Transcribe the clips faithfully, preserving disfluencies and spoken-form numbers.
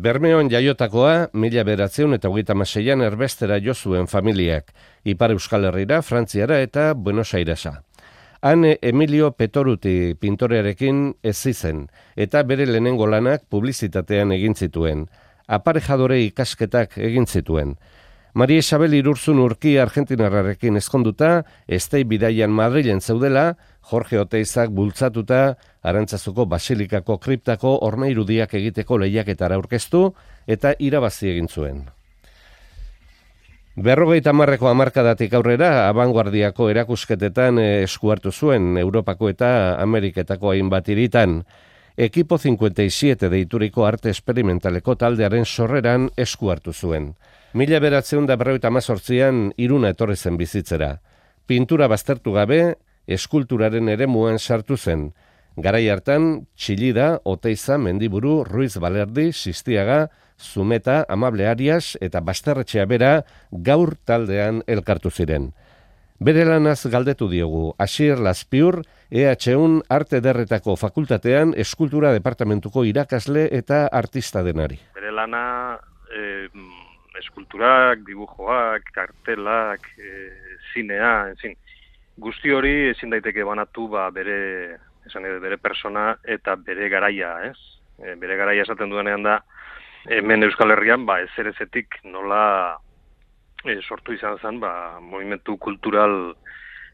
Bermeon jaiotakoa, mila bederatziehun eta hogeita hamaseian erbestera jo zuen familiak, Ipar Euskal Herrira, Frantziara eta Buenos Airesa. Han Emilio Petoruti pintorearekin ez zen, eta bere lehenengo lanak publizitatean egin zituen. Aparejadore ikasketak egin zituen. Maria Isabel Irurzun Urki argentinarrarekin ezkonduta, Estei bidaian Madrilen zeudela, Jorge Oteizak bultzatuta, Arantzazuko Basilikako kriptako hormairudiak egiteko lehiaketara aurkeztu eta irabazi egin zuen. Berrogeita hamarreko hamarkadatik aurrera, abanguardiako erakusketetan esku hartu zuen Europako eta Ameriketako hainbat hiritan. Ekipo cincuenta y siete deituriko arte esperimentaleko taldearen sorreran esku hartu zuen. Mila bederatziehun eta berrogeita hamazortzian Iruna etorri zen bizitzera. Pintura baztertu gabe, eskulturaren eremuan sartu zen. Garai hartan, Txillida, Oteiza, Mendiburu, Ruiz Balerdi, Sistiaga, Zumeta, Amable Arias eta Basterretxea bera gaur taldean elkartu ziren. Bere lanaz galdetu diogu, Asier Lazpiur, E H un Arte Ederretako Fakultatean Eskultura Departamentuko irakasle eta artista denari. Bere lana eh, eskulturak, dibujoak, kartelak, eh, zinea, ezin, guzti hori ezin daiteke banatu ba, bere, esan edo, bere persona eta bere garaia, ez? E, bere garaia esaten duenean da, hemen Euskal Herrian, ba, ezerezetik nola e, sortu izan zen, ba, movimentu kultural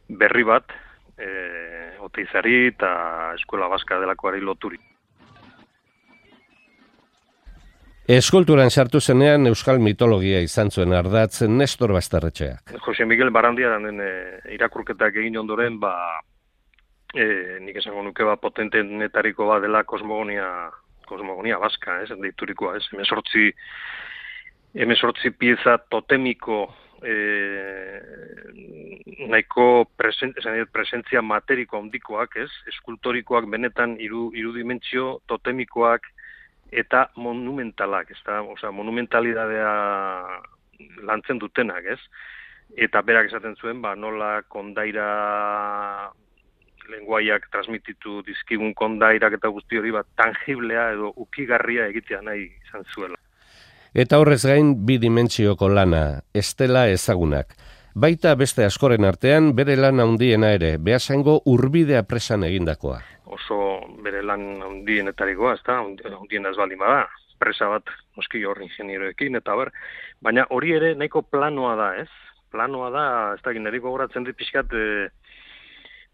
berri bat, e, Oteizari eta Eskola Baska delakoari loturi. Eskulturan sartu zenean Euskal mitologia izan zuen ardatz Nestor Basterretxeak. Jose Miguel Barandiaren e, irakurketak egin ondoren, ba, e, nik esango nuke ba, potentenetariko bat dela kosmogonia, kosmogonia baska, ez, deiturikoa, ez, hemezortzi, hemezortzi pieza totemiko e, nahiko presen, presentzia materiko handikoak, ez, eskultorikoak benetan iru, irudimentsio totemikoak, eta monumentalak, ez da, osea, monumentalidadea lantzen dutenak, ez? Eta berak esaten zuen, ba, nola kondaira lenguaiak transmititu dizkigun kondairak eta guzti hori, ba, tangiblea edo ukigarria egitea nahi izan zuela. Eta horrez gain bi dimentsioko lana, estela ezagunak. Baita beste askoren artean bere lan handiena ere, Beasaingo Urbidea presan egindakoa. Oso bere lan handienetarikoa, ez da, handiena ez baldin bada, presa bat, noski hor ingenieroekin, eta ber, baina hori ere nahiko planoa da, ez? Planoa da, ez da, neriko goratzen dit pixkat, e,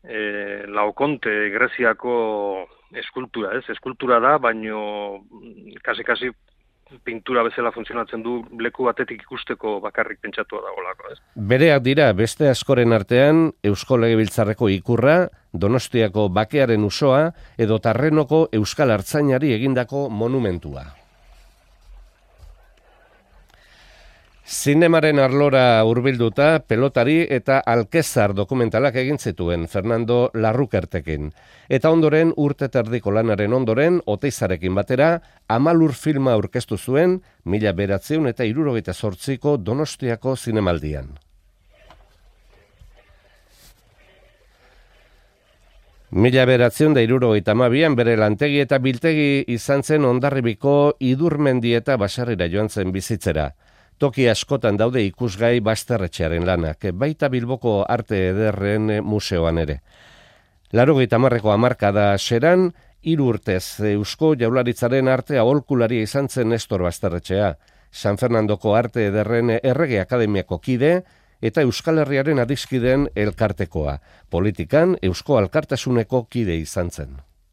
e, Laokonte, Greziako eskultura, ez? Eskultura da, baino kasi-kasi pintura bezala funtzionatzen du leku batetik ikusteko bakarrik pentsatua dagoelako, ez? Bereak dira beste askoren artean Eusko Legebiltzarreko ikurra, Donostiako bakearen usoa edo Tarrenoko Euskal Artzainari egindako monumentua. Zinemaren arlora hurbilduta pelotari eta alkezar dokumentalak egin zituen Fernando Larrukertekin. Eta ondoren urte terdiko lanaren ondoren Oteizarekin batera Amalur filma aurkeztu zuen mila bederatziehun eta hirurogeita zortziko Donostiako zinemaldian. Mila bederatziehun eta hirurogeita hamabian bere lantegi eta biltegi izan zen Hondarribiko Idurmendi eta Basarrira joan zen bizitzera. Toki askotan daude ikusgai Basterretxearen lanak, baita Bilboko Arte Ederren museoan ere. Laurogeita hamarreko hamarkada seran, hiru urtez Eusko Jaurlaritzaren arte aholkularia izan zen Nestor Basterretxea, San Fernandoko Arte Ederren Errege Akademiako kide eta Euskal Herriaren adiskideen elkartekoa. Politikan Eusko Alkartasuneko kide izan zen.